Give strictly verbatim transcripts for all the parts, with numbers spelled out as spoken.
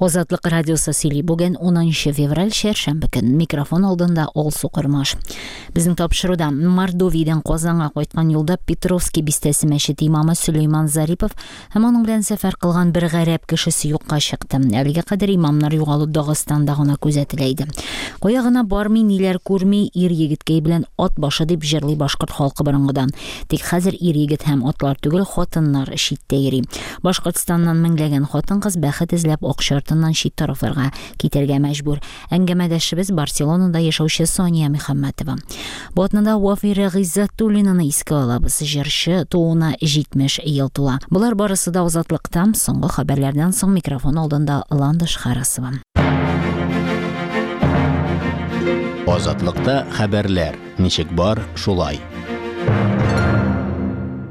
Азатлык радиосы сөйли. Бүген унынчы февраль, чәршәмбе көн. Микрофон алдында Алсу Кормаш. Безнең тапшыруда Мордовиядән Казанга кайткан юлда Петровский бистәсе мәчете имамы Сөләйман Зарипов һәм аның белән сәфәр кылган бер гарәп кешесе юкка чыкты. Әлегә кадәр имамнар югалу Дагыстанда гына күзәтелә иде. Кая гына бармый, ниләр күрми, ир егеткәй белән ат башы дип җырлый башкорт халкы борынгыдан. Тик хәзер ир егет һәм атлар түгел, хатыннар читтә йөри. Башкортстаннан меңләгән хатын-кыз бәхет эзләп акча артыннан чит тарафларга китәргә мәҗбүр. Әңгәмәдәшебез Барселонада яшәүче Сания Мөхәммәтова. Бу атнада Вафира Гыйззәтуллинаны искә алабыз. Җырчы тууына җитмеш ел тула. Болар барысы да Азатлыктан. Соңгы хәбәрләрдән соң микрофон алдында Ландыш Харасова. Азатлыкта хәбәрләр ничек бар, шулай.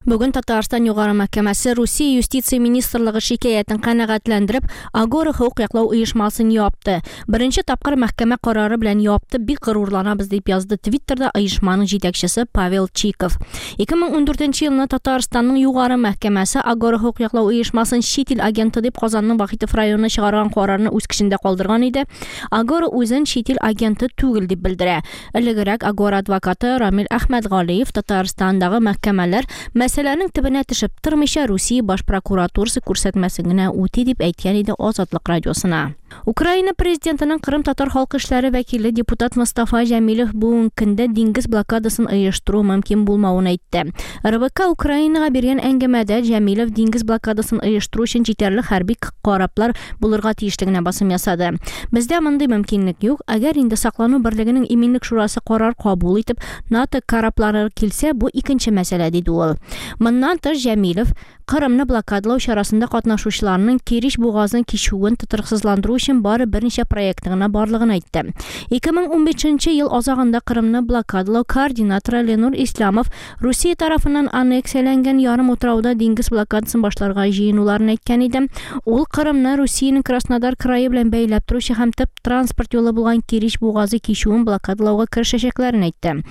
Бүген Татарстан Югары мәхкәмәсе Русия юстиция министрлыгы шикаятен канәгатьләндереп, Агора хокук яклау оешмасын япты. Беренче тапкыр мәхкәмә карары белән япты, бик горурланабыз дип язды Твиттерда оешманың җитәкчесе Павел Чиков. ике мең ундүртенче елны Татарстанның Югары мәхкәмәсе Агора хокук яклау оешмасын чит ил агенты дип Казанның Вахитов районына чыгарган карарны үз көчендә калдырган иде. Агора үзен чит ил агенты түгел дип белдерә. Элегрәк Агора адвокаты Рамил Әхмәтгалиев Татарстандагы мәхкәмәләр мәсьәләнең төбенә төшеп тормыйча Русия баш прокуратурасы күрсәтмәсен генә үти дип әйткән иде Азатлык радиосына. Украина президентының Кырым татар халкы эшләре вәкиле депутат Мустафа Җәмилев бүгенге көндә диңгез блокадасын оештыру мөмкин булмавын әйтте. Р Б К Украинага биргән әңгәмәдә Җәмилев диңгез блокадасын оештыру өчен җитәрлек хәрби кораблар булырга тиешлегенә басым ясады. Бездә мондый мөмкинлек юк. Әгәр инде саклану берлегенең иминлек шурасы карар кабул итеп, НАТО кораблары килсә, бу икенче мәсьәлә, диде ул. Моннан тыш Җәмилев Кырымны блокадалау чарасында катнашучыларның Керич бугазын кичүен тотрыксызландыру өчен бары берничә проекты гына барлыгын әйтте. ике мең унбишенче ел азагында Кырымны блокадалау координаторы Ленур Исламов Русия тарафыннан аннексияләнгән ярым утрауда диңгез блокадасын башларга җыенуларын әйткән иде. Ул Кырымны Русиянең Краснодар крае белән бәйләп торучы һәм төп транспорт юлы булган Керич бугазы кичүен блокадалауга керешәчәкләрен әйтте.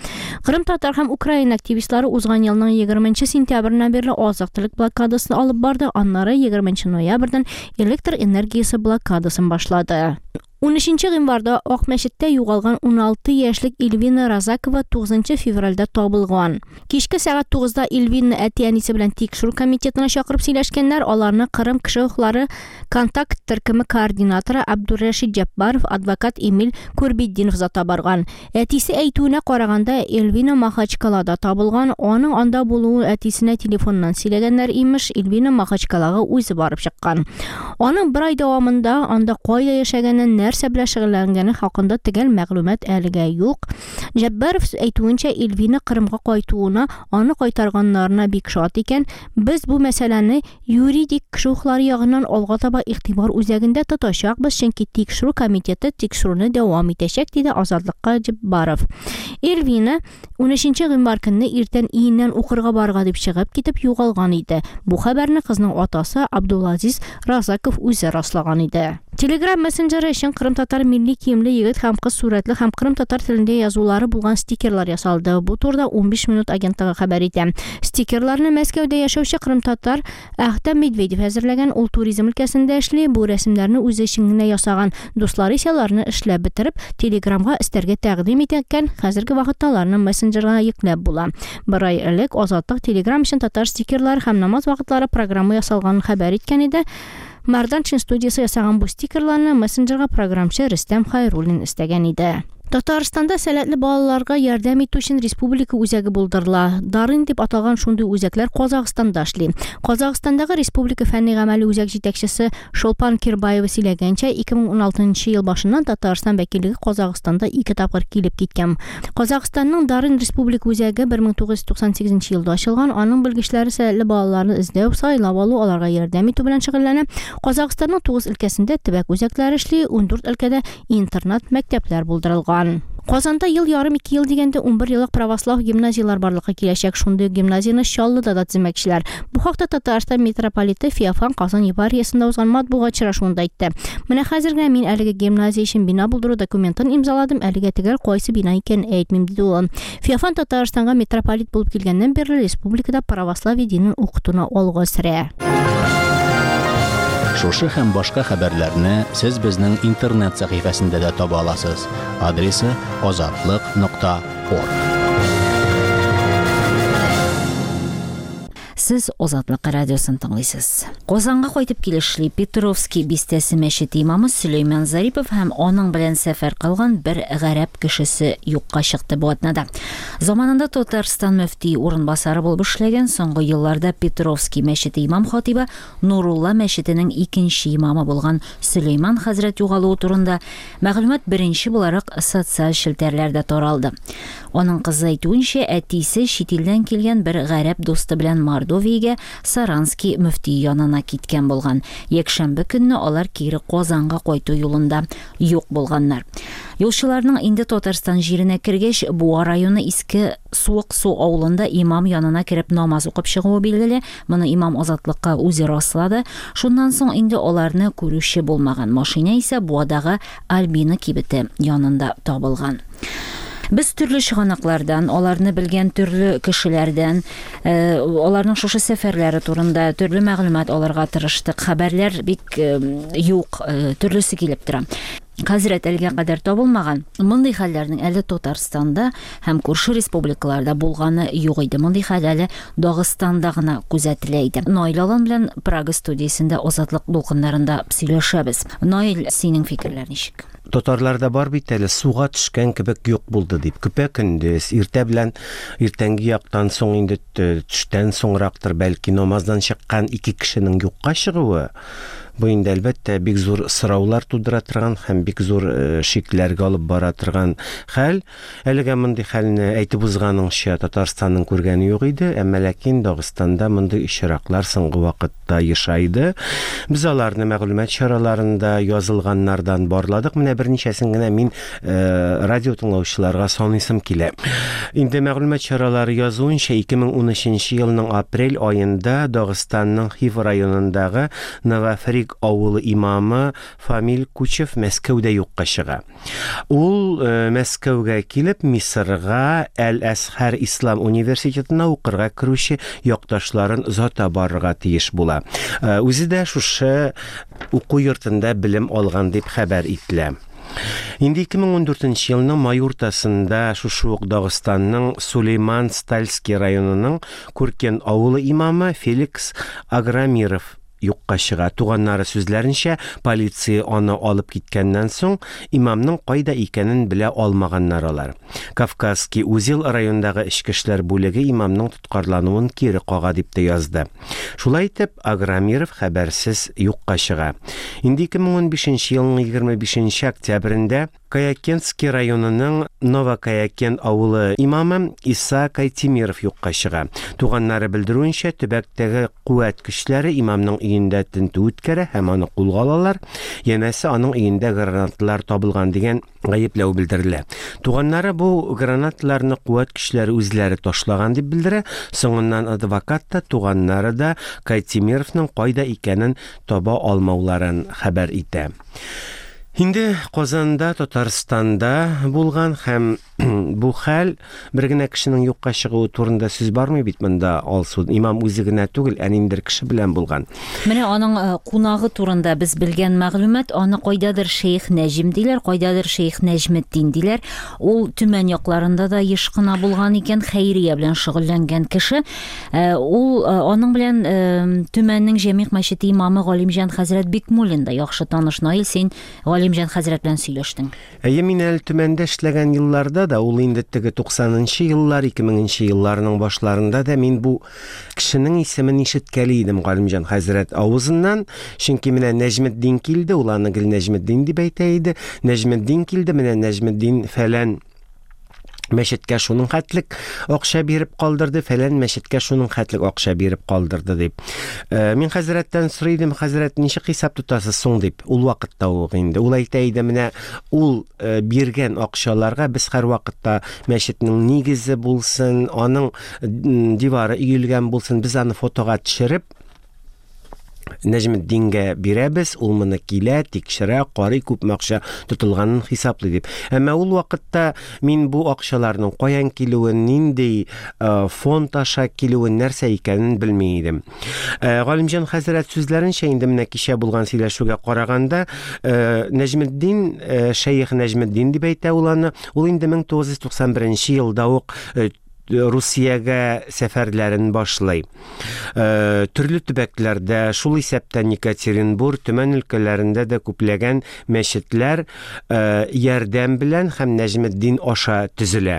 Кырым татар һәм Украина активистлары узган елның егерменче сентябреннән бирле азык-төлек блокадасын алып барды, аннары егерменче ноябрьдән электр энергиясе блокадасын башлады. Унөченче гыйнварда Акмәчеттә югалган уналты яшьлек Эльвина Разакова тугызынчы февральдә табылган. Кичке сәгать тугызда Эльвина әти-әнисе белән тикшерү комитетына чакырып сөйләшкәннәр, аларны Кырым кеше хокуклары контакт төркеме координаторы Абдуррашид Җаббаров, адвокат Эмиль Курбетдинов зата барган. Әтисе әйтүенә караганда, Эльвина Махачкалада табылган, аның анда булуы әтисенә телефоннан сөйләгәннәр имеш, Эльвина Махачкалага үзе барып чыккан. Аның бер ай дәвамында анда кайда яшәгәнен, нәрсә белән шөгыльләнгәне хакында төгәл мәгълүмат әлегә юк. Җаббаров әйтүенчә, Эльвина Кырымга кайтуына, аны кайтарганнарына бик шат икән. Без бу мәсьәләне юридик кеше хокуклары ягыннан алга таба игътибар үзәгендә тотачакбыз, чөнки тикшерү комитеты тикшерүне дәвам итәчәк, диде Азатлыкка Җаббаров. Эльвина унөченче гыйнвар көнне иртән өеннән укырга барырга дип чыгып китеп югалган иде. Бу хәбәрне кызның атасы Абдулазиз Разаков үзе раслаган иде. Telegram мессенджеры өчен Кырым татар милли киемле егет һәм кыз сурәтле һәм Кырым татар телендә язулары булган стикерлар ясалды. Бу турыда унбиш минут агентлыгы хәбәр итә. Стикерларны Мәскәүдә яшәүче Кырым татар Әхтәм Медведев әзерләгән. Ул туризм өлкәсендә эшли. Бу рәсемнәрне үзе өчен генә ясаган. Дуслары исә аларны эшләп бетереп, Телеграмга өстәргә тәкъдим иткән. Хәзерге вакытта аларны мессенджерга йөкләп була. Бер ай элек Азатлык Телеграм өчен татар стикерлары һәм намаз вакытлары программа ясалганын хәбәр иткән иде. Марданшин студиясе ясаган бу стикерларны мессенджерга програмчы Рөстәм Хайруллин өстәгән иде. Татарстанда сәләтле балаларга ярдәм итү өчен республика үзәге булдырыла. Дарын дип аталган шундый үзәкләр Казахстанда эшли. Казахстандагы Республика фәнни гамәли үзәк җитәкчесе Шолпан Кирбаева сөйләгәнчә, ике мең уналтынчы ел башыннан Татарстан вәкиллеге Казахстанда ике тапкыр килеп киткән. Казахстанның Дарын Республика үзәге бер мең тугыз йөз туксан сигезенче елда ачылган. Аның белгечләре сәләтле балаларны эзләү, сайлап алу, аларга ярдәм итү белән шөгыльләнә. Казахстанның тугыз өлкәсендә төбәк үзәкләре эшли, ундүрт өлкәдә интернат мәктәпләр булдырылган. Казанда ел ярым ике ел дигәндә унбер еллык православ гимназиялар барлыкка киләчәк. Шундый гимназияне Чаллыда да төземәкчеләр. Бу хакта Татарстан митрополиты Феофан Казан епархиясендә узган матбугат очрашуында әйтте. Менә хәзер генә мин әлеге гимназия өчен бина булдыру документын имзаладым, әлегә төгәл кайсы бина икәнен әйтмим, диде ул. Феофан Татарстанга митрополит булып килгәннән бирле республикада православие динен укытуны алга сөрә. Шушы һәм башка хәбәрләрне сез безнең интернет сәхифәсендә дә таба аласыз. Адресы азатлык нокта орг. Сез Азатлык радиосын тыңлыйсыз. Казанга кайтып килешли Петровский бистәсе мәчете имамы Сөләйман Зарипов һәм аның белән сәфәр кылган бер гарәп кешесе юкка чыкты бу атнада. Заманында Татарстан мөфти урынбасары булып эшләгән, соңгы елларда Петровский мәчете имам хатибы, Нурулла мәчетенең икенче имамы булган Сөләйман хәзрәт югалуы турында мәгълүмат беренче буларак социаль челтәрләрдә таралды. Аның кызы әйтүенчә, әтисе чит илдән килгән бер гарәп дусты белән Мордовиягә Саранский мөфти янына киткән булган. Якшәмбе көнне алар кире Казанга кайту юлында юк булганнар. Юлчыларның инде Татарстан җиренә кергәч, Буа районы Иске Суык-Су авылында имам янына кереп намаз укып чыгуы билгеле. Моны имам Азатлыкка үзе раслады. Шуннан соң инде аларны күрүче булмаган. Машина исә Буадагы Альбина кибете янында табылган. Без төрле чыганаклардан, аларны белгән төрле кешеләрдән, э, аларның шушы сәфәрләре турында төрле мәгълүмат алырга тырыштык. Хәбәрләр бик э, юк, э, төрлесе килеп тора. Хәзрәт әлегә кадәр табылмаган. Мондый хәлләрнең әле Татарстанда һәм күрше республикаларда булганы юк иде. Мондый хәл әле Дагыстанда гына күзәтелә иде. Наил Алан белән Прага студиясендә Азатлык дулкыннарында сөйләшәбез. Наил, синең фикерләр ничек? Татарларда бар бит әле, суга төшкән кебек юк булды дип. Көпә көндез, иртә белән, иртәнге яктан соң инде төштән соңрактыр бәлки намаздан чыккан ике кешенең юкка чыгуы. Бу инде әлбәттә бик зур сораулар тудыра торган һәм бик зур шикләргә алып бара торган хәл. Әлегә мондый хәлне әйтеп узганыңча Татарстанның күргәне юк иде, әмма ләкин Дагыстанда мондый очраклар соңгы вакытта ешайды. Без аларны мәгълүмат чараларында язылганнардан барладык. Менә берничәсен генә мин радио тыңлаучыларга саныйсым килә. Инде мәгълүмат чаралары язуынча ике мең унөченче елның апрель аенда Дагыстанның Хив районындагы Новофрик авылы имамы Фамил Кучев Мәскәүдә юкка чыга. Ул Мәскәүгә килеп Мисырга Әл-Әзһәр Ислам университетына укырга керүче якташларын озата барырга тиеш була. Үзе дә шушы уку йортында белем алган дип хәбәр ителә. Инде ике мең ундүртенче елның май уртасында шушы ук Дагыстанның Сулейман Стальский районының Куркен авылы имамы Феликс Аграмиров юкка чыга. Туганнары сүзләренчә, полиция аны алып киткәннән соң имамның кайда икәнен белә алмаганнар алар. Кавказский узел районындагы эчке эшләр бүлеге имамның тоткарлануын кире кага дип тә язды. Шулай итеп, Аграмиров хәбәрсез юкка чыга. Инде ике мең унбишенче елның егерме бишенче октябрендә Каякентский районының Новокаякент авылы имамы Иса Кайтимиров юкка чыга. Туганнары белдерүенчә, төбәктәге куәт көчләре имамның өендә тентү үткәрә һәм аны кулга алалар. Янәсе, аның өендә гранаталар табылган дигән гаепләү белдерелә. Туганнары бу гранаталарны куәт көчләре үзләре ташлаган дип белдерә. Соңыннан адвокат та, туганнары да Кайтимировның кайда икәнен таба алмауларын хәбәр итә. Инде Казанда, Татарстанда булган һәм бу хәл бер генә кешенең юкка чыгуы турында сүз бармый бит монда, Алсу. Имам үзе генә түгел, ә ниндидер кеше белән булган. Менә аның кунагы турында без белгән мәгълүмат, аны кайдадыр Шейх Нәҗим диләр, кайдадыр Шейх Нәҗметдин диләр. Ул Төмән якларында да еш кына булган икән, хәйрия белән шөгыльләнгән кеше. Ул аның белән Төмәннең Җәмигъ мәчете имамы Галимҗан хәзрәт Бикмуллин да яхшы таныш. Наил, син Галимҗан хәзрәт белән сөйләштең. Әйе, мин әле Төмәндә эшләгән елларда да, ул инде теге туксанынчы еллар, ике меңенче елларның башларында да мин бу кешенең исемен ишеткәли идем Галимҗан хәзрәт авызыннан. Чөнки менә Нәҗметдин килде, ул аны гел Нәҗметдин дип әйтә иде. Нәҗметдин килде, менә Нәҗметдин фәлән мәчеткә шуның хәтлек акча биреп калдырды, фәлән мәчеткә шуның хәтлек акча биреп калдырды дип. Мин хәзрәттән сорый идем, хәзрәт, ничек хисап тотасыз соң дип. Ул вакытта ук инде. Ул әйтә иде, менә ул биргән акчаларга без һәр вакытта мәчетнең нигезе булсын, аның дивары өелгән булсын, без аны фотога төшереп Нәҗметдингә бирәбез, ул моны килә, тикшерә, карый, күпме акча тотылганын хисаплый дип. Әмма ул вакытта мин бу акчаларның каян килүен, нинди фонд аша килүен, нәрсә икәнен белми идем. Галимҗан хәзрәт сүзләренчә, инде менә кичә булган сөйләшүгә караганда, Нәҗметдин, Шәех Нәҗметдин дип әйтә ул аны, ул инде мең тугыз йөз туксан беренче елда ук Русиягә сәфәрләрен башлый. Төрле төбәкләрдә, шул исәптән Екатеринбург, Төмән өлкәләрендә дә күпләгән мәчетләр ярдәм белән һәм Нәҗметдин аша төзелә.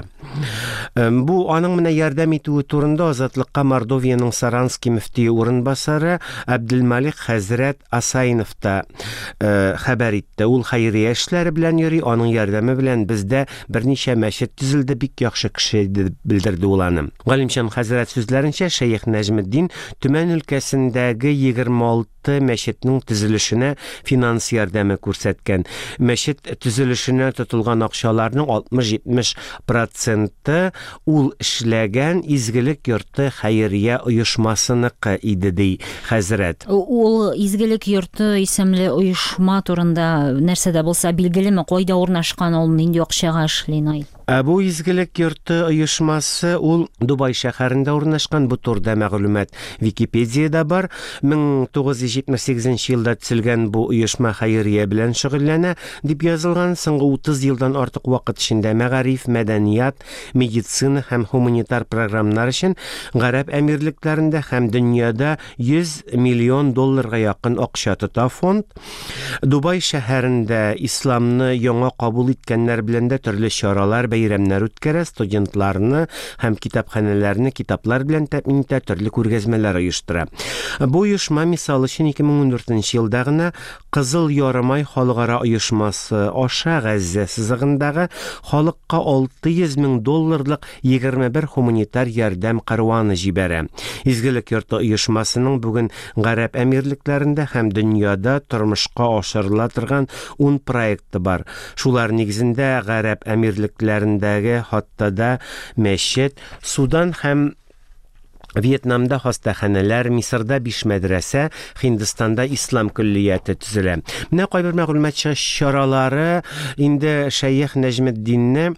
Бу аның менә ярдәм итүе турында Азатлыкка Мордовиянең Саранский мөфтие урынбасары Әбделмалик хәзрәт Асайнов та хәбәр итте. Ул хәйрия эшләре белән йөри, аның ярдәме белән бездә берничә мәчет төзелде, бик яхшы кеше дип белдерде ул аны. Галимҗан хәзрәт сүзләренчә, Шәех Нәҗметдин Төмән өлкәсендәге егерме алты мәчетнең төзелешенә финанс ярдәме күрсәткән. Мәчет төзелешенә тотылган акчаларның алтмыш-җитмеш проценты ул эшләгән Изгелек йорты хәйрия оешмасыныкы иде, ди хәзрәт. Ул Изгелек йорты исемле оешма турында нәрсә дә булса билгелеме? Кайда урнашкан ул, нинди акчага эшли, Наил? Ә бу Изгелек йорты оешмасы ул Дубай шәһәрендә урнашкан. Бу турыда мәгълүмат Википедиядә бар. мең тугыз йөз җитмеш сигезенче елда төзелгән бу оешма хәйрия белән шөгыльләнә дип язылган. Соңгы утыз елдан артык вакыт эчендә мәгариф, мәдәният, медицина һәм гуманитар программалар өчен Гарәп Әмирлекләрендә һәм дөньяда йөз миллион долларга якын акча тота фонд. Дубай шәһәрендә исламны яңа кабул иткәннәр белән дә төрле чаралар, бәйрәмнәр үткәрә, студентларны һәм китапханәләрне китаплар белән тәэмин итә, төрле күргәзмәләр оештыра. Бу оешма, мисал өчен, ике мең ундүртенче елда гына Кызыл Ярымай халыкара оешмасы аша Газзә сызыгындагы халыкка алты йөз мең долларлык егерме бер гуманитар ярдәм каруаны җибәрә. Изгелек йорты оешмасының бүген Гарәп Әмирлекләрендә һәм дөньяда тормышка ашырыла торган ун проекты бар. Шулар нигезендә Гарәп Әмирлекләрендәге Хаттада мәчет, Судан һәм Вьетнамда хастаханәләр, Мисырда биш мәдрәсә, Һиндстанда ислам көллияте төзелә. Менә кайбер мәгълүмат чаралары инде Шәех Нәҗметдинне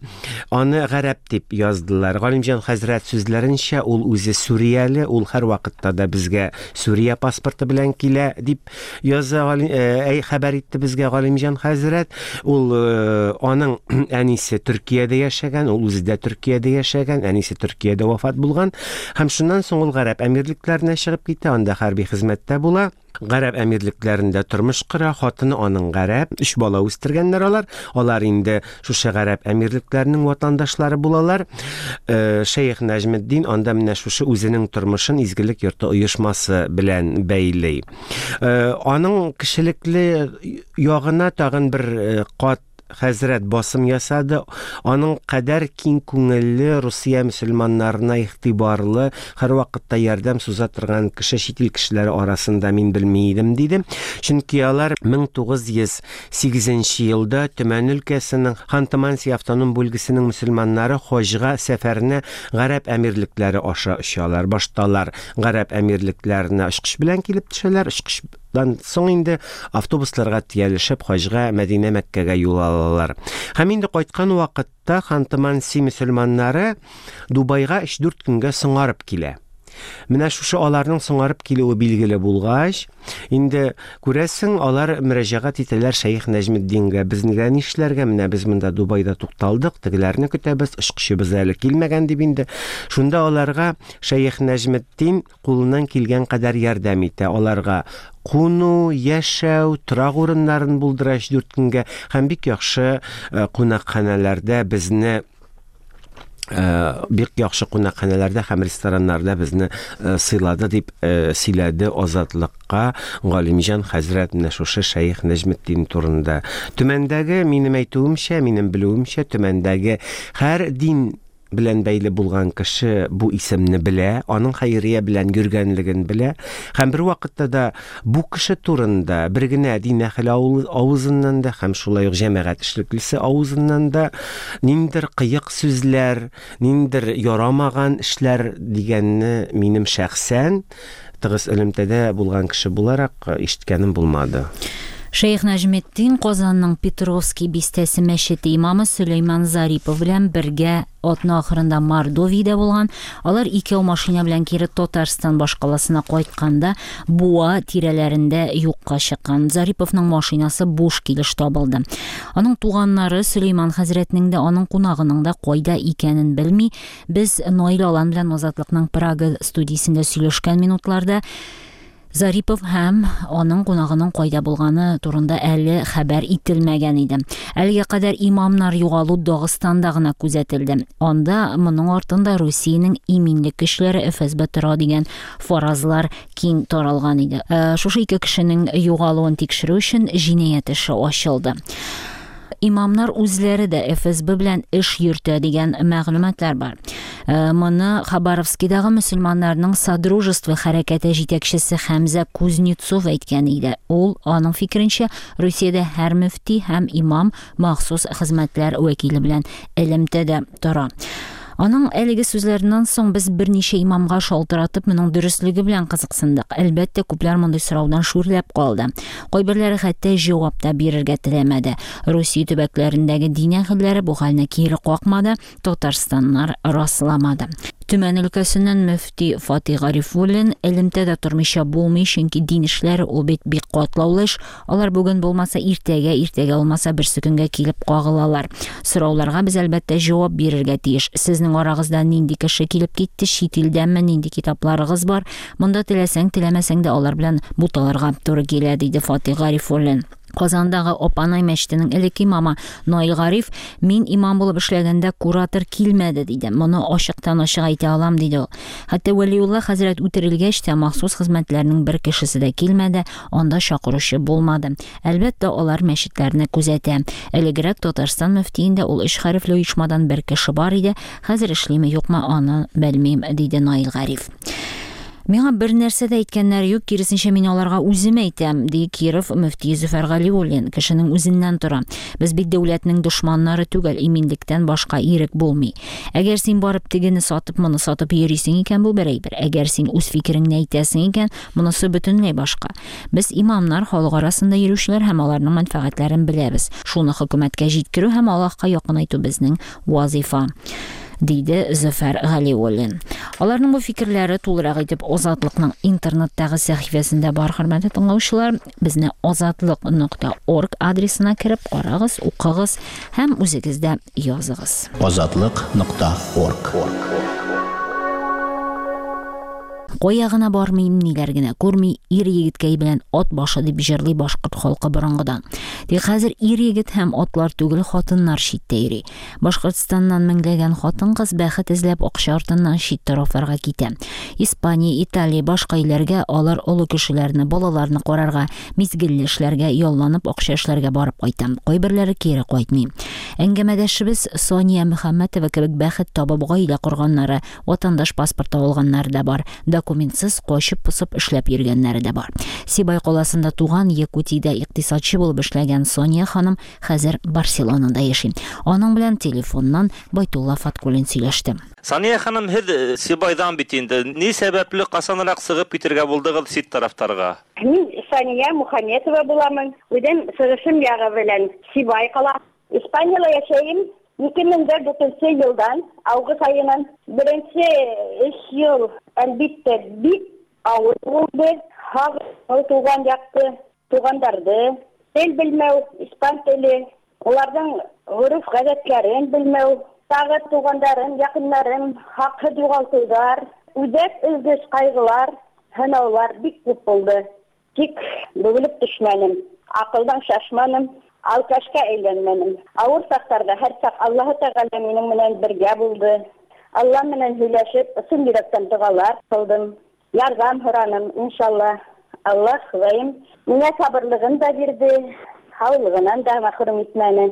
аны гарәп дип яздылар. Галимҗан хәзрәт сүзләренчә, ул үзе сүрияле, ул һәр вакытта да безгә Сүрия паспорты белән килә дип яза, әй, хәбәр итте безгә Галимҗан хәзрәт. Ул аның әнисе Төркиядә яшәгән, ул үзе дә Төркиядә яшәгән, әнисе Төркиядә вафат булган. Һәм шуннан соң ул Гарәп Әмирлекләренә чыгып китә, анда хәрби хезмәттә була. Гарәп Әмирлекләрендә тормыш кора, хатыны аның гарәп, өч бала үстергәннәр алар. Алар инде шушы Гарәп Әмирлекләренең ватандашлары булалар. Шәех Нәҗметдин анда менә шушы үзенең тормышын Изгелек йорты оешмасы белән бәйли. Аның кешелекле ягына тагын бер кат хәзрәт басым ясады. Аның кадәр киң күңелле, Русия мөселманнарына игътибарлы, һәр вакытта ярдәм суза торган кеше чит ил кешеләре арасында мин белми идем, диде. Чөнки алар мең тугыз йөз сигезенче елда Төмән өлкәсенең Ханты-Манси автоном бүлгесенең мөселманнары хаҗга сәфәренә Гарәп Әмирлекләре аша очалар. Башта алар Гарәп Әмирлекләренә очкыч белән килеп төшәләр, очкыч Дан соң инде автобусларга төялешеп хаҗга Мәдинә Мәккәгә юл алалар. Һәм инде кайткан вакытта Ханты-Манси мөселманнары Дубайга өч-дүрт көнгә соңарып килә. Менә шушы аларның соңарып килүе билгеле булгач, инде күрәсең, алар мөрәҗәгать итәләр Шәех Нәҗметдингә. Без нигә нишләргә? Менә без монда Дубайда тукталдык, тегеләрне көтәбез, очкычыбыз әле килмәгән дип инде. Шунда аларга Шәех Нәҗметдин кулыннан килгән кадәр ярдәм итә. Аларга куну, яшәү, торак урыннарын булдыра өч-дүрт көнгә һәм бик яхшы кунакханәләрдә безне бик яхшы кунакханәләрдә һәм рестораннарда безне сыйлады дип сөйләде Азатлыкка Галимҗан хәзрәт менә шушы Шәех Нәҗметдин турында. Төмәндәге, минем әйтүемчә, минем белүемчә, Төмәндәге һәр дин белән бәйле булган кеше бу исемне белә, аның хәйрия белән йөргәнлеген белә һәм бер вакытта да бу кеше турында бер генә дин әһеле авызыннан да һәм шулай ук җәмәгать эшлеклесе авызыннан да ниндидер кыек сүзләр, ниндидер ярамаган эшләр дигәнне минем шәхсән тыгыз элемтәдә булган кеше буларак ишеткәнем булмады. Шәйх Нәҗметдин Казанның Петровский бистәсе мәчете имамы Сөләйман Зарипов белән бергә атна ахырында Мордовиядә булган. Алар икәү машина белән кире Татарстан башкаласына кайтканда Буа тирәләрендә юкка чыккан. Зариповның машинасы буш килеш табылды. Аның туганнары Сөләйман хәзрәтнең дә, аның кунагының да кайда икәнен белми. Без Наил Алан белән Азатлыкның Прага студиясендә сөйләшкән минутларда Зарипов һәм аның кунагының кайда булганы турында әле хәбәр ителмәгән иде. Әлегә кадәр имамнар югалу Дагыстанда гына күзәтелде. Анда моның артында Русиянең иминлек көчләре Эф Эс Бэ тора дигән фаразлар киң таралган иде. Шушы ике кешенең югалуын тикшерү өчен җинаять эше ачылды. Имамнар үзләре дә Эф Эс Бэ белән эш йөртә дигән мәгълүматлар бар. Моны Хабаровскидагы мөселманнарның Содружество хәрәкәте җитәкчесе Хәмзә Кузнецов әйткән иде. Ул, аның фикеренчә, Русиядә һәр мөфти һәм имам махсус хезмәтләр вәкиле белән элемтәдә тора. Аның әлеге сүзләреннән соң без берничә имамга шалтыратып, моның дөреслеге белән кызыксындык. Әлбәттә, күпләр мондый сораудан шүрләп калды. Кайберләре хәтта җавап та бирергә теләмәде. Русия төбәкләрендәге дин әһелләре бу хәлне кире какмады, Татарстаннар расламады. Төмән өлкәсеннән мөфти Фатих Гарифуллин элемтәдә тормыйча булмый, чөнки дин эшләре ул бит бик катлаулы эш. Алар бүген булмаса иртәгә, иртәгә булмаса берсе көнгә килеп кагылалар. Сорауларга без әлбәттә җавап бирергә тиеш. Сезнең арагызда нинди кеше килеп китте, чит илдәнме, нинди китапларыгыз бар? Монда теләсәң, теләмәсәң дә алар белән буталырга туры килә, диде Фатих Гарифуллин. Казандагы Апанай мәчетенең элекке имамы Наил Гариф, мин имам булып эшләгәндә куратор килмәде, диде. Моны ачыктан ачык әйтә алам, диде ул. Хәтта Вәлиулла хәзрәт үтерелгәч тә махсус хезмәтләрнең бер кешесе дә килмәде, анда чакыручы булмады. Әлбәттә, алар мәчетләрне күзәтә. Элегрәк Татарстан мөфтиендә ул өч хәрефле оешмадан бер кеше бар иде. Хәзер эшлиме, юкмы, аны белмим, диде Наил Гариф. Миңа бер нәрсә дә әйткәннәр юк, киресенчә мин аларга үзем әйтәм, ди Киров мөфтие Зөфәр Галиуллин. Кешенең үзеннән тора. Без бит дәүләтнең дошманнары түгел, иминлектән башка ирек булмый. Әгәр син барып тегене сатып, моны сатып йөрисең икән, бу бер әйбер. Әгәр син үз фикереңне әйтәсең икән, монысы бөтенләй башка. Без имамнар, халык арасында йөрүчеләр һәм аларның мәнфәгатьләрен беләбез. Шуны хөкүмәткә җиткерү һәм Аллаһка якынайту безнең вазифа, диде Зөфәр Галиуллин. Аларның бу фикерләре тулырак итеп Азатлыкның интернеттагы сәхифәсендә бар, хөрмәтле тыңлаучылар. Безне азатлык нокта орг адресына кереп карагыз, укыгыз һәм үзегез дә языгыз. Азатлык нокта орг. Кая гына бармыйм, ниләр генә күрми, ир егеткәй белән ат башы дип җырлый башкорт халкы борынгыдан. Тик хәзер ир егет һәм атлар түгел, хатыннар читтә йөри. Башкортстаннан меңләгән хатын-кыз бәхет эзләп акча артыннан чит тарафларга китә. Испания, Италия, башка илләргә алар олы кешеләрне, балаларны карарга, мизгелле эшләргә, ялланып акча эшләргә барып кайта. Кайберләре кире кайтмый. Әңгәмәдәшебез Сания Мөхәммәтова кебек бәхет табып гаилә корганнары, ватандаш паспорты алганнары да бар. Документсыз качып-посып эшләп йөргәннәре дә бар. Сибай каласында туган, Якутиядә икътисадчы булып эшләгән Сония ханым хәзер Барселонада яши. Аның белән телефоннан Байтулла Фаткуллин сөйләште. Сания ханым, һеҙ Сибайҙан бит инде. Ни сәбәпле ҡасаныраҡ сығып китергә булдығыҙ сит тарафтарға? Мин Сания Мухаметова буламын. Үҙем сығышым яғы белән Сибай ҡала. Испанияла йәшәйем. Ике мең дә дүртенсе йылдан, август айынан. Беренсе өс йыл, әлбиттә, бик ауыр булды. Һағыну туған яҡты, туғандарҙы, тел белмәү, испан теле, уларҙың ғөрөф-ғәҙәттәрен белмәү, тағы туғандарым, яҡындарым, хаҡһыҙ юғалтыуҙар, үҙәк өҙгөс ҡайғылар, һынаулар бик күп булды. Тик бөгөлөп төшмәнем, аҡылдан шашманым, алкашка әйләнмәнем. Ауыр саҡтарҙа һәр саҡ Аллаһы Тәғәлә минең менән бергә булды. Алла менән һөйләшеп, ысын йөрәктән доғалар ҡылдым. Ярҙам һораным, иншалла. Аллаһ Хоҙайым миңә сабырлығын да бирҙе, һаулығынан да мәхрүм итмәне.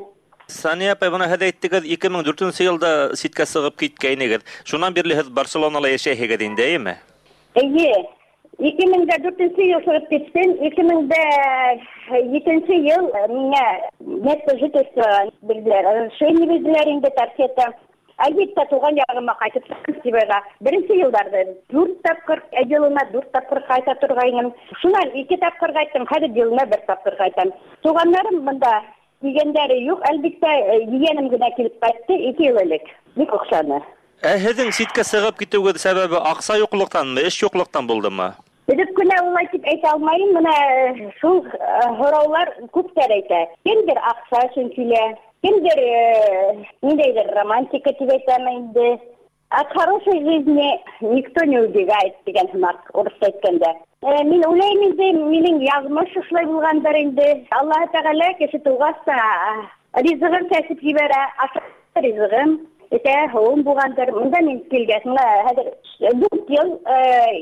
Сания апай, бына һеҙ әйттегеҙ, ике мең дүртенсе йылда ситкә сығып киткәйнегеҙ. Шунан бирле һеҙ Барселонала йәшәйһегеҙ инде, әйеме? Эйе. Ике мең дә дүртенсе йыл сығып киттем. Ике мең дә етенсе йыл миңә место жительства бирҙеләр. Разрешение бирҙеләр инде торсета. Әлбиттә, туған яғыма ҡайтып сыҡтым Сибайға. Беренсе йылдарҙа дүрт тапҡыр, йылына дүрт тапҡыр ҡайта торғайным. Шунан ике тапҡыр ҡайттым, хәҙер йылына бер тапҡыр ҡайтам. Туғандарым бында килгәндәре юҡ, әлбиттә, ейәнем генә килеп ҡайтты ике йыл элек. Бик оҡшаны. Ә һеҙҙең ситкә сығып китеүегеҙ сәбәбе аҡса юҡлыҡтанмы, эш юҡлыҡтан булдымы? Белеп кенә улай тип әйтә алмайым. Бына шул һораулар күптәр әйтә. Кемдер аҡса өсөн килә, кемдер ниндәйҙер романтика тип әйтәме инде. От хорошей жизни никто не убегает тигән һымаҡ урыҫса әйткәндә. Мин уйлайым инде, минең яҙмыш шулай булғандыр инде. Аллаһы Тәғәлә кеше тыуғас та ризығын сәсеп ебәрә, ашар ризығым, эсә һыуым булғандыр. Бында мин килгәс, бына хәҙер дүрт йыл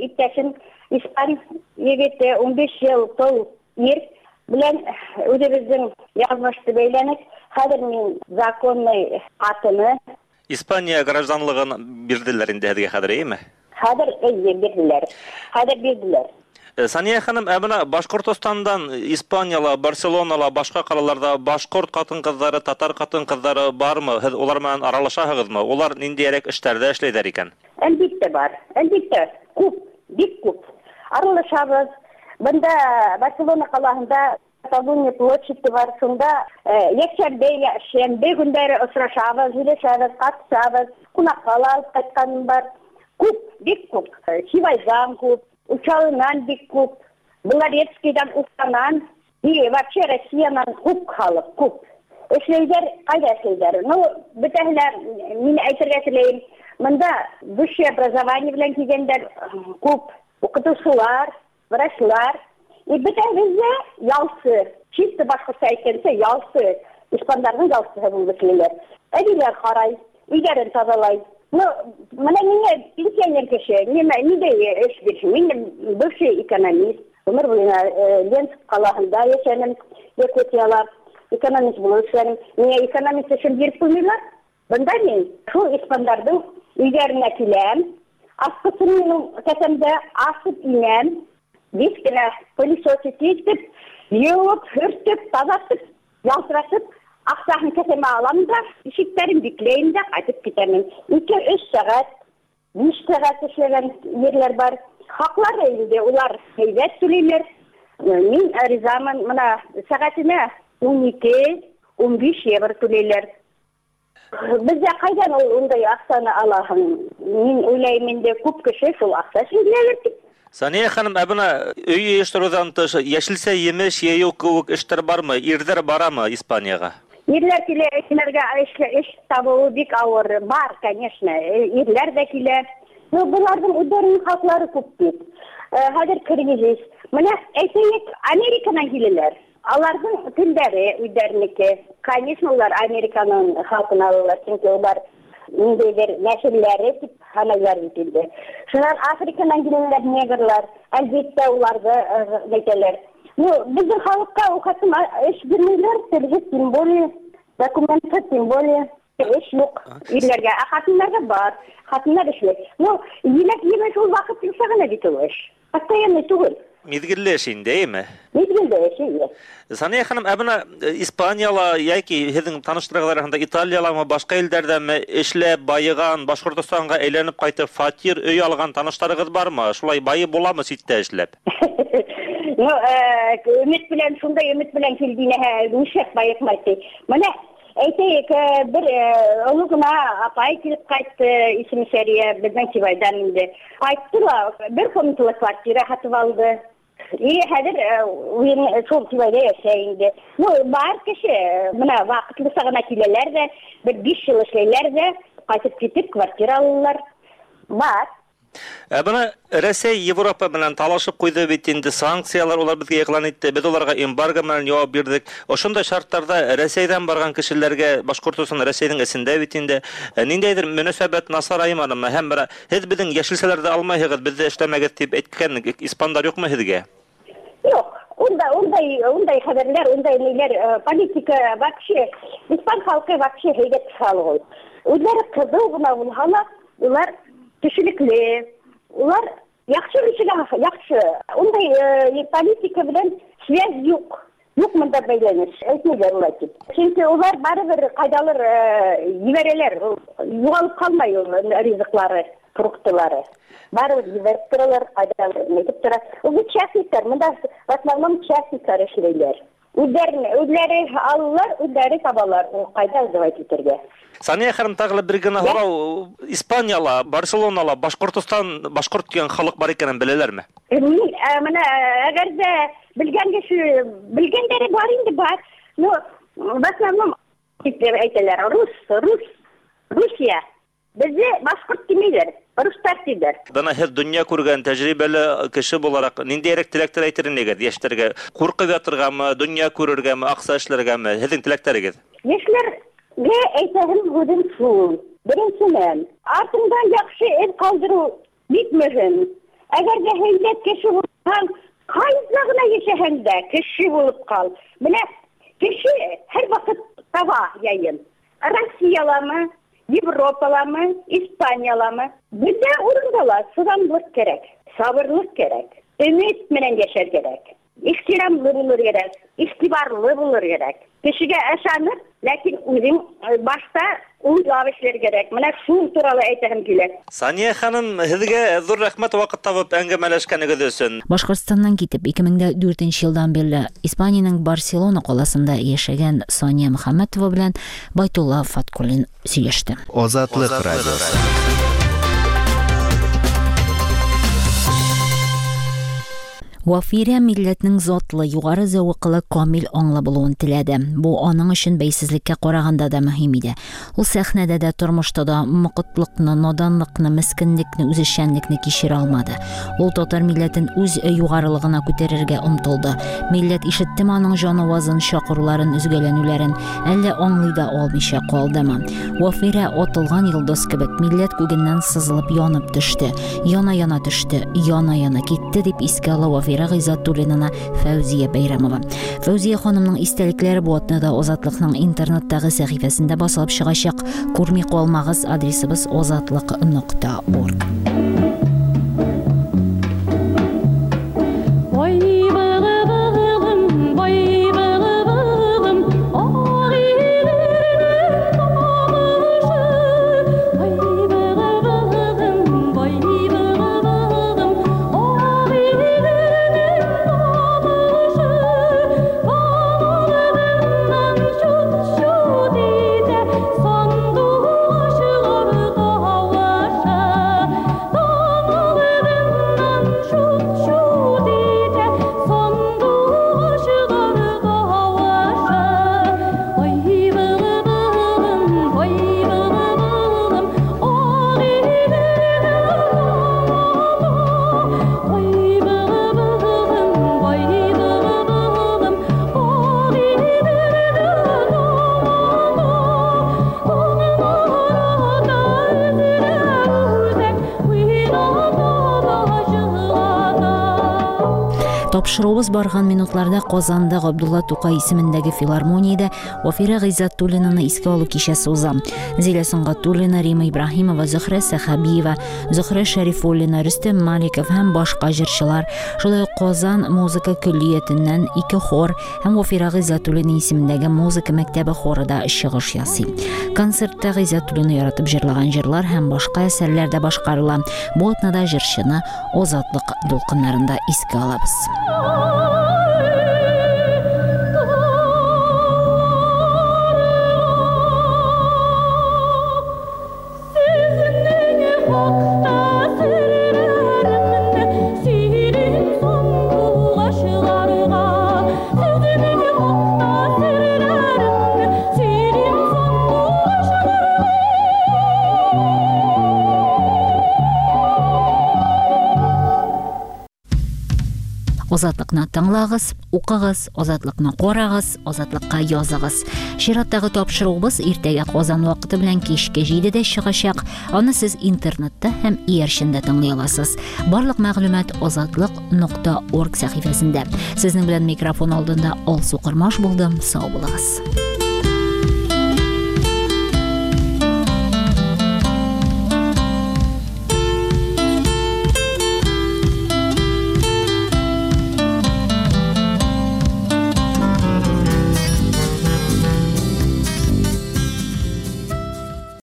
иптәшем испан егете, ун биш йыл тол ир белән үҙебеҙҙең яҙмышты бәйләнек. Хәҙер мин законный ҡатыны. Испания гражданлығын бирҙеләр инде һеҙгә хәҙер, эйеме? Хәҙер, эйе, бирҙеләр. Хәҙер бирҙеләр. Сания ханым, ә бына Башҡортостандан Испанияла, Барселонала, башҡа ҡалаларҙа башҡорт ҡатын-ҡыҙҙары, татар ҡатын-ҡыҙҙары бармы? Һеҙ улар менән аралашаһығыҙмы? Улар ниндәйерәк эштәрҙә эшләйҙәр икән? Әлбиттә бар. Әлбиттә, күп, бик күп. Аралашабыҙ. Бында Барселона ҡалаһында Каталония площади бар, шунда йәкшәмбе, шәмбе көндәре осрашабыҙ, һөйләшәбеҙ, ҡатышабыҙ, ҡунаҡҡа ла алып ҡайтҡаным бар. Күп, бик күп. Сибайҙан күп, Учалынан бик күп, Белорецкийҙан, Уфанан, и вообще Россиянан күп халыҡ, күп. Эшләйҙәр, ҡайҙа эшләйҙәр? Ну, бөтәһе лә, мин әйтергә теләйем, бында высшее образование белән килгәндәр күп, уҡытыусылар, врачлар. И бөтәбеҙ ҙә ялсы, чисто башҡортса әйткәнсә ялсы, испандарҙың ялсыһы булып эшләйләр. Әбейҙәр ҡарай, өйҙәрен таҙалай. Ну, бына миңә пенсионер кеше, нимә, ниндәй эш бирһен? Мин бывший экономист, ғүмер буйына Ленск ҡалаһында йәшәнем, Якутияла экономист булып эшләнем. Миңә экономист эшен биреп ҡуймайлар. Бында мин шул испандарҙың өйҙәренә киләм, асҡысын минең кеҫәмдә асып инәм, бик кенә пылесосить итеп, йыуып, һөртөп, таҙартып, ялтыратып, аҡсаһын кеҫәмә алам да, ишектәрен бикләйем дә ҡайтып китәмен. Ике-өс сәғәт, биш сәғәт эшләгән ерләр бар. Хаҡлары инде улар һәйбәт түләйләр. Мин ризамын, бына сәғәтенә ун ике, ун биш евро түләйләр. Беҙҙә ҡайҙан ул ундай аҡсаны алаһың? Мин уйлайым инде, күп кеше шул аҡса өсөн киләлер тип. Сания ханым, ә бына өй йыйыштырыуҙан тыш йәшелсә емеш йыйыу кеүек эштәр бармы? Ирҙәр барамы Испанияға? Ирләр килә, ирләргә эш, эш табыуы бик ауыр. Бар, конечно, ирләр ҙә килә. Ну, быларҙың үҙҙәренең хаҡлары күп бит. Хәҙер кризис. Бына әйтәйек, Американан киләләр. Аларҙың телдәре үҙҙәренеке. Конечно, улар Американың халҡын алалар, сөнки улар ниндәйҙер нәҫелләре тип һанайлар бит инде. Шунан Африканан киләләр негрлар, әлбиттә уларҙы әйтәләр. Ну, беҙҙең халыҡҡа ул хәтлем эш бирмәйләр, телһеҙ, тем более, документһыҙ, тем более, эш юҡ ирләргә, ә ҡатындарға бар, ҡатындар эшләй. Ну, еләк-емеш ул ваҡытлыса ғына бит ул эш. Постоянный түгел. Миҙгелле эш инде, эйме? Миҙгелле эш, эйе. Сания ханым, ә бына Испанияла йәки һеҙҙең таныштарығыҙ араһында Италияламы, башҡа илдәрҙәме эшләп байыған, Башҡортостанға әйләнеп ҡайтып фатир, өй алған таныштарығыҙ бармы? Шулай байып буламы ситтә эшләп? Ну, өмөт менән, шундай өмөт менән килгәнһә, нишләп байыҡмай ти. Бына әйтәйек, бер оло ғына апай килеп ҡайтты, исеме Сәрия, беҙҙең Сибайҙан инде. Ҡайтты ла, бер комнаталы квартира һатып алды. И хәҙер шул Сибайҙа йәшәй инде. Ну, бар кеше, бына ваҡытлыса ғына киләләр ҙә, бер биш йыл эшләйләр ҙә, ҡайтып китеп квартира алалар. Бар. Ә бына Рәсәй Европа менән талашып ҡуйҙы бит инде, санкциялар улар беҙгә иғлан итте, беҙ уларға эмбарго менән яуап бирҙек. Ошондай шарттарҙа Рәсәйҙән барған кешеләргә, Башҡортостан Рәсәйҙең эсендә бит инде, ниндәйҙер мөнәсәбәт насарайманымы? Һәм бына һеҙ беҙҙең йәшелсәләрҙе алмайһығыҙ, беҙҙе эшләмәгеҙ тип әйткән испандар юҡмы һеҙгә? Юҡ, Унда ундай ундай хәбәрләр, ундай ниләр, политика вообще, испан халкы вообще һәйбәт халык ул. Үзләре кызыл гына булһа ла, улар кешелекле, улар яхшы кешеләр, яхшы. Ундай политика белән связь юк. Юк монда бәйләнеш, әйтмиләр улай дип. Чөнки улар барыбер кайдалыр җибәрәләр, югалып калмай ул ризыклары, фруктылары. Барыбер җибәреп торалар, кайдалыр нитеп тора. Ул частниклар, монда в основном частниклар эшләйләр. Үзләре, үзләре алалар, үзләре табалар, ул кайда сдавать итәргә. Сания ханым, тагы бер генә һорау. Испанияла, Барселонала, Башкортостан, башкорт дигән халык бар икәнен беләләрме? Мин менә әгәр дә белгән кеше, белгәннәре бар инде, бар. Но в основном дип әйтәләр, рус, рус, Русия. Безне башкорт димиләр, руслар диләр. Бына һеҙ донъя күргән тәжрибәле кеше булараҡ ниндәйерәк теләктәр әйтер инегеҙ йәштәргә? Ҡурҡып ятырғамы, донъя күрергәме, аҡса эшләргәме? Һеҙҙең теләктәрегеҙ? Йәштәргә әйтәһем һүҙем шул. Беренсенән, артыңдан яҡшы эҙ ҡалдырыу бик мөһим. Әгәр ҙә һәйбәт кеше булһаң, ҡайҙа ғына йәшәһәң дә кеше булып ҡал. Бына кеше һәр ваҡыт таба яйын. Россияламы, Европаламы, Испанияламы, бөтә урында ла сыҙамлыҡ кәрәк, сабырлыҡ кәрәк, өмөт менән йәшәр кәрәк, ихтирамлы булыр кәрәк, иғтибарлы булыр кәрәк. Кешегә ышанып, ләкин үҙең башта уйлап эшләр кәрәк. Менә шул турала әйтәһем килә. Сания ханым, һеҙгә ҙур рәхмәт ваҡыт табып әңгәмәләшкәнегеҙ өсөн. Башҡортостандан китеп ике мең дә дүртенсе йылдан бирле Испанияның Барселона ҡаласында йәшәгән Сания Мөхәммәтова белән Байтулла Фаткуллин һөйләште. Азатлыҡ радиосы. Вафирә милләтнең затлы, югары зәвыклы, камил аңлы булуын теләде. Бу аның өчен бәйсезлеккә караганда да мөһим иде. Ул сәхнәдә дә, тормышта да мокытлыкны, наданлыкны, мескенлекне, үзешчәнлекне кичерә алмады. Ул татар милләтен үз югарылыгына күтәрергә омтылды. Милләт ишеттеме аның җан авазын, чакыруларын, өзгәләнүләрен, әллә аңлый да алмыйча калдымы? Вафирә атылган йолдыз кебек милләт күгеннән сызылып янып төште. Яна-яна төште, яна-яна китте дип искә ала Вафирә Ғиззатуллинаны Фәүзия Бәйрәмова. Фәүзия ханымның истәлекләре бу атнада Азатлыкның интернеттагы сәхифәсендә басылып чыгачак. Күрми калмагыз, адресыбыз азатлык нокта орг. Тапшыруыбыз барган минутларда Казанда Габдулла Тукай исемендәге филармониядә Вафирә Ғиззатуллинаны искә алу кичәсе уза. Зилә Сөнгатуллина, Рима Ибраһимова, Зөһрә Сәхәбиева, Зөһрә Шәрифуллина, Рөстәм Маликов һәм башка җырчылар, шулай ук Казан музыка көллиятеннән ике хор һәм Вафирә Ғиззатуллина исемендәге музыка мәктәбе хоры да чыгыш ясый. Концертта Ғиззатуллина яратып җырлаган җырлар һәм башка әсәрләр дә башкарыла. Бу атнада җырчыны Азатлык дулкыннарында искә алабыз. Азатлыкны тыңлагыз, укыгыз, Азатлыкны карагыз, Азатлыкка языгыз. Чираттагы тапшыруыбыз иртәгә Казан вакыты белән кичке җидедә чыгачак. Аны сез интернетта һәм иярчендә тыңлый аласыз. Барлык мәгълүмат азатлык нокта орг сәхифәсендә. Сезнең белән микрофон алдында Алсу Кормаш булдым. Сау булыгыз.